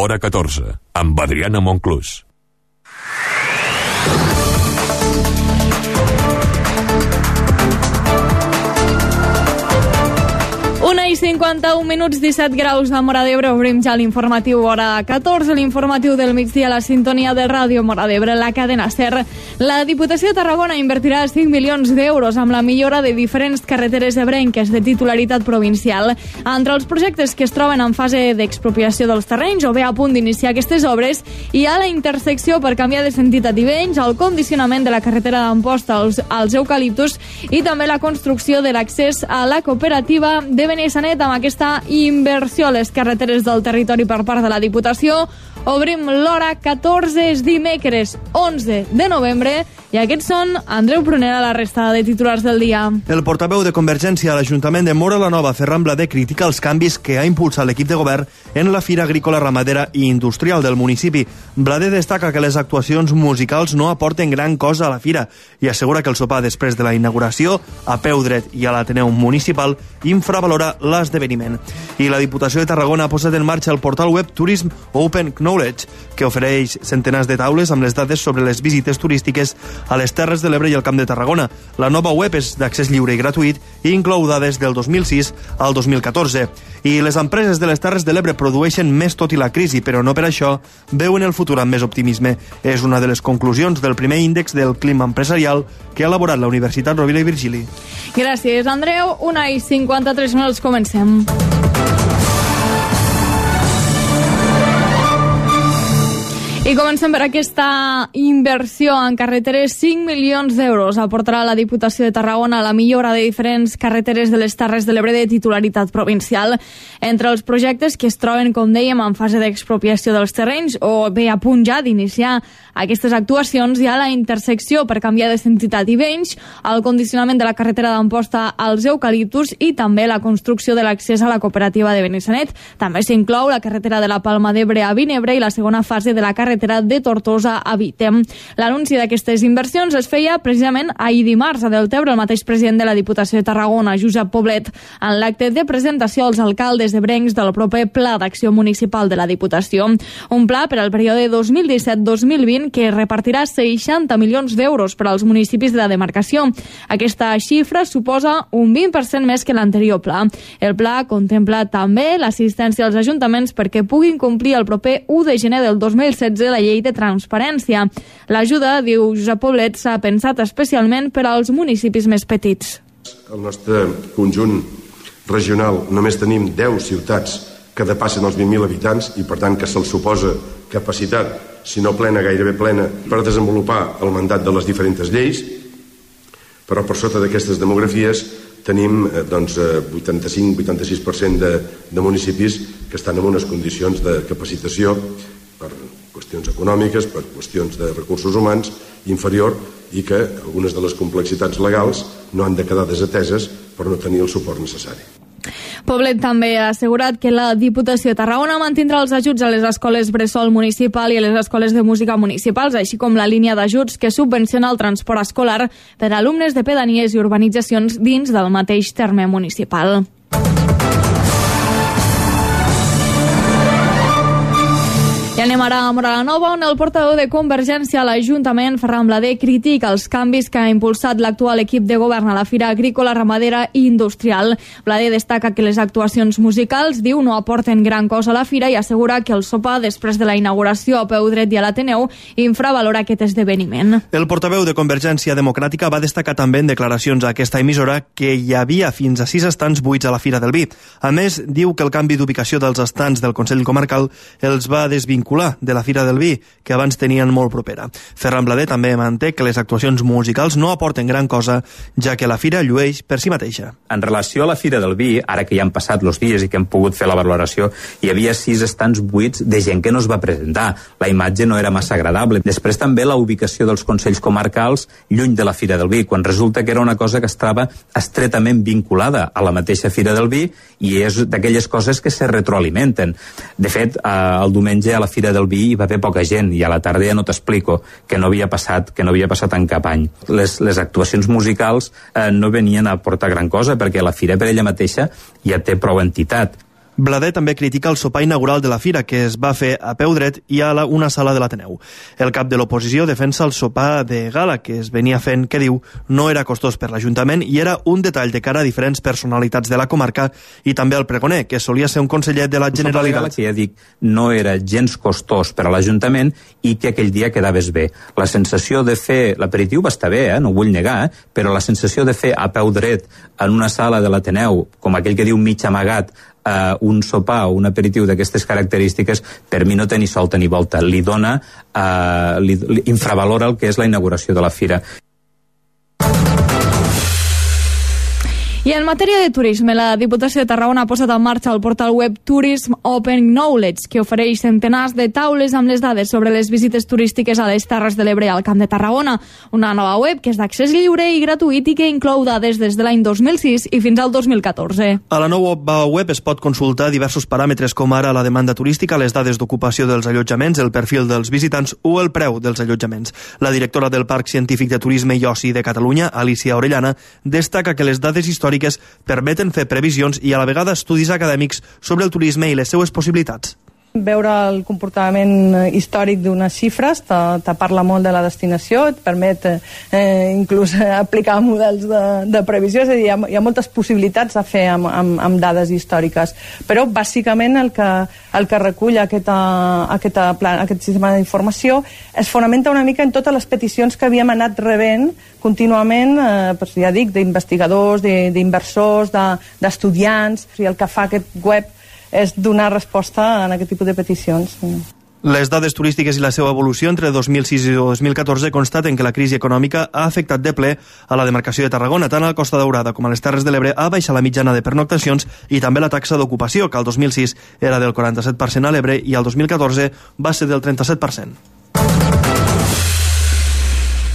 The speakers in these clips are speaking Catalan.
Hora 14, amb Adriana Monclús. Una i 51 minuts, 17 graus de Móra d'Ebre. Obrim ja l'informatiu hora 14, l'informatiu del migdia a la sintonia de Ràdio Móra d'Ebre, la cadena SER. La Diputació de Tarragona invertirà 5 milions d'euros amb la millora de diferents carreteres ebrenques de titularitat provincial. Entre els projectes que es troben en fase d'expropiació dels terrenys o bé a punt d'iniciar aquestes obres, hi ha la intersecció per canviar de sentit a Tivenys, el condicionament de la carretera d'Amposta als eucaliptus i també la construcció de l'accés a la cooperativa de Benissanet. Amb aquesta inversió a les carreteres del territori per part de la Diputació, obrim l'hora 14, és dimecres 11 de novembre, i aquests són Andreu Prunera, la resta de titulars del dia. El portaveu de Convergència a l'Ajuntament de Móra la Nova, Ferran Blader, critica els canvis que ha impulsat l'equip de govern en la Fira Agrícola, Ramadera i Industrial del municipi. Blader destaca que les actuacions musicals no aporten gran cosa a la fira i assegura que el sopar després de la inauguració, a peu dret i a l'Ateneu Municipal, infravalora l'esdeveniment. I la Diputació de Tarragona ha posat en marxa el portal web Tourism Open Knowledge, que ofereix centenars de taules amb les dades sobre les visites turístiques a les Terres de l'Ebre i al Camp de Tarragona. La nova web és d'accés lliure i gratuït i inclou dades del 2006 al 2014. I les empreses de les Terres de l'Ebre produeixen més tot i la crisi, però no per això veuen el futur amb més optimisme. És una de les conclusions del primer índex del clima empresarial que ha elaborat la Universitat Rovira i Virgili. Gràcies, Andreu. 1 i 53 minuts, comencem. I comencem per aquesta inversió en carreteres. 5 milions d'euros aportarà la Diputació de Tarragona a la millora de diferents carreteres de les Terres de l'Ebre de titularitat provincial. Entre els projectes que es troben, com dèiem, en fase d'expropiació dels terrenys o bé a punt ja d'iniciar aquestes actuacions, hi ha la intersecció per canviar de sentit a Tivenys, el condicionament de la carretera d'Amposta als eucaliptus i també la construcció de l'accés a la cooperativa de Benissanet. També s'inclou la carretera de la Palma d'Ebre a Vinebre i la segona fase de la carretera de Tortosa a Vitem. L'anunci d'aquestes inversions es feia precisament ahir dimarts a Deltebre. El mateix president de la Diputació de Tarragona, Josep Poblet, en l'acte de presentació als alcaldes ebrencs del proper Pla d'Acció Municipal de la Diputació. Un pla per al període 2017-2020 que repartirà 60 milions d'euros per als municipis de la demarcació. Aquesta xifra suposa un 20% més que l'anterior pla. El pla contempla també l'assistència als ajuntaments perquè puguin complir el proper 1 de gener del 2016 la llei de transparència. L'ajuda, diu Josep Poblet, s'ha pensat especialment per als municipis més petits. Al nostre conjunt regional només tenim 10 ciutats que depassen els 20.000 habitants i per tant que se'ls suposa capacitat, si no plena, gairebé plena, per desenvolupar el mandat de les diferents lleis, però per sota d'aquestes demografies tenim 85-86% de municipis que estan en unes condicions de capacitació per qüestions econòmiques, per qüestions de recursos humans inferior i que algunes de les complexitats legals no han de quedar desateses per no tenir el suport necessari. Poblet també ha assegurat que la Diputació de Tarragona mantindrà els ajuts a les escoles bressol municipal i a les escoles de música municipals, així com la línia d'ajuts que subvenciona el transport escolar per a alumnes de pedanies i urbanitzacions dins del mateix terme municipal. I anem ara a Móra la Nova, on el portaveu de Convergència a l'Ajuntament, Ferran Blader, critica els canvis que ha impulsat l'actual equip de govern a la Fira Agrícola, Ramadera i Industrial. Blader destaca que les actuacions musicals, diu, no aporten gran cosa a la fira i assegura que el sopar, després de la inauguració a peu dret i a l'Ateneu, infravalora aquest esdeveniment. El portaveu de Convergència Democràtica va destacar també en declaracions a aquesta emissora que hi havia fins a 6 estants buits a la Fira del Vi. A més, diu que el canvi d'ubicació dels estants del Consell Comarcal els va desvincular de la Fira del Vi, que abans tenien molt propera. Ferran Blader també manté que les actuacions musicals no aporten gran cosa, ja que la fira llueix per si mateixa. En relació a la Fira del Vi, ara que ja han passat els dies i que hem pogut fer la valoració, hi havia 6 estants buits de gent que no es va presentar. La imatge no era massa agradable. Després també la ubicació dels Consells Comarcals lluny de la Fira del Vi, quan resulta que era una cosa que estava estretament vinculada a la mateixa Fira del Vi i és d'aquelles coses que se retroalimenten. De fet, el diumenge a la Fira del Vi hi va haver poca gent i a la tarda ja no t'explico que no havia passat en cap any. Les actuacions musicals no venien a aportar gran cosa perquè la fira per ella mateixa ja té prou entitat. Blader també critica el sopar inaugural de la fira, que es va fer a peu dret i a una sala de l'Ateneu. El cap de l'oposició defensa el sopar de gala, que es venia fent, que diu, no era costós per l'Ajuntament i era un detall de cara a diferents personalitats de la comarca, i també el pregoner, que solia ser un conseller de la Generalitat. El sopar de gala, que ja dic, no era gens costós per a l'Ajuntament i que aquell dia quedaves bé. La sensació de fer l'aperitiu va estar bé, no ho vull negar, però la sensació de fer a peu dret en una sala de l'Ateneu, com aquell que diu mig amagat, un sopar o un aperitiu d'aquestes característiques, per mi no té ni solta ni volta. Li dona, li infravalora el que és la inauguració de la fira. I en matèria de turisme, la Diputació de Tarragona ha posat en marxa el portal web Tourism Open Knowledge, que ofereix centenars de taules amb les dades sobre les visites turístiques a les Terres de l'Ebre i al Camp de Tarragona. Una nova web que és d'accés lliure i gratuït i que inclou dades des de l'any 2006 i fins al 2014. A la nova web es pot consultar diversos paràmetres com ara la demanda turística, les dades d'ocupació dels allotjaments, el perfil dels visitants o el preu dels allotjaments. La directora del Parc Científic de Turisme i Oci de Catalunya, Alicia Orellana, destaca que les dades històriques permeten fer previsions i a la vegada estudis acadèmics sobre el turisme i les seues possibilitats. Veure el comportament històric d'unes xifres te parla molt de la destinació, et permet inclús aplicar models de previsió, és a dir, hi ha moltes possibilitats a fer amb dades històriques, però bàsicament el que recull aquest sistema d'informació es fonamenta una mica en totes les peticions que havíem anat rebent contínuament, ja dic, d'investigadors, d'inversors, d'estudiants, i el que fa aquest web és donar resposta a aquest tipus de peticions. Les dades turístiques i la seva evolució entre 2006 i 2014 constaten que la crisi econòmica ha afectat de ple a la demarcació de Tarragona, tant a la Costa Daurada com a les Terres de l'Ebre ha baixat la mitjana de pernoctacions i també la taxa d'ocupació, que al 2006 era del 47% a l'Ebre i al 2014 va ser del 37%.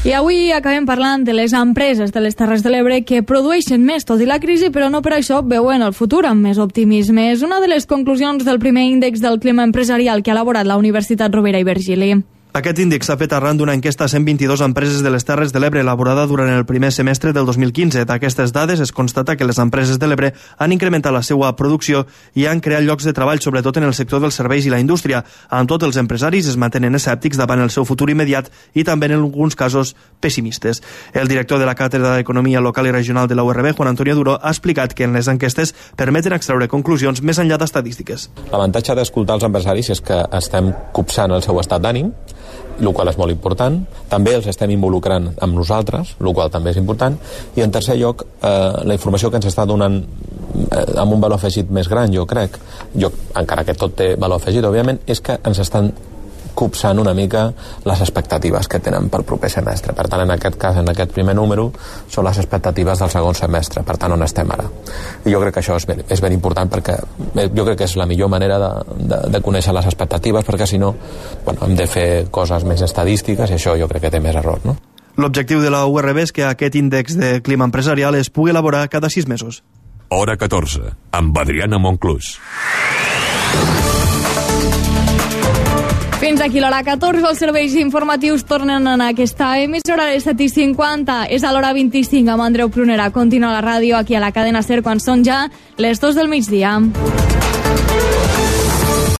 I avui acabem parlant de les empreses de les Terres de l'Ebre que produeixen més tot i la crisi, però no per això veuen el futur amb més optimisme. És una de les conclusions del primer índex del clima empresarial que ha elaborat la Universitat Rovira i Virgili. Aquest índex s'ha fet arran d'una enquesta a 122 empreses de les Terres de l'Ebre elaborada durant el primer semestre del 2015. D'aquestes dades es constata que les empreses de l'Ebre han incrementat la seva producció i han creat llocs de treball, sobretot en el sector dels serveis i la indústria. Amb tot, els empresaris es mantenen escèptics davant el seu futur immediat i també en alguns casos pessimistes. El director de la Càtedra d'Economia Local i Regional de la URB, Juan Antonio Duro, ha explicat que en les enquestes permeten extreure conclusions més enllà d'estadístiques. L'avantatge d'escoltar els empresaris és que estem copsant el seu estat d'ànim, el qual és molt important. També els estem involucrant amb nosaltres, el qual també és important. I en tercer lloc, la informació que ens està donant amb un valor afegit més gran, jo crec, encara que tot té valor afegit, òbviament, és que ens estan copsant una mica les expectatives que tenen pel proper semestre. Per tant, en aquest cas, en aquest primer número, són les expectatives del segon semestre, per tant, on estem ara. I jo crec que això és ben important perquè jo crec que és la millor manera de conèixer les expectatives, perquè si no, hem de fer coses més estadístiques i això jo crec que té més error, no? L'objectiu de la URB és que aquest índex de clima empresarial es pugui elaborar cada 6 mesos. Hora 14, amb Adriana Monclús. Fins aquí l'hora 14, els serveis informatius tornen en aquesta emissora de 7:50. És a l'hora 25 amb Andreu Prunera. Continua la ràdio aquí a la cadena SER quan són ja les 2 del migdia.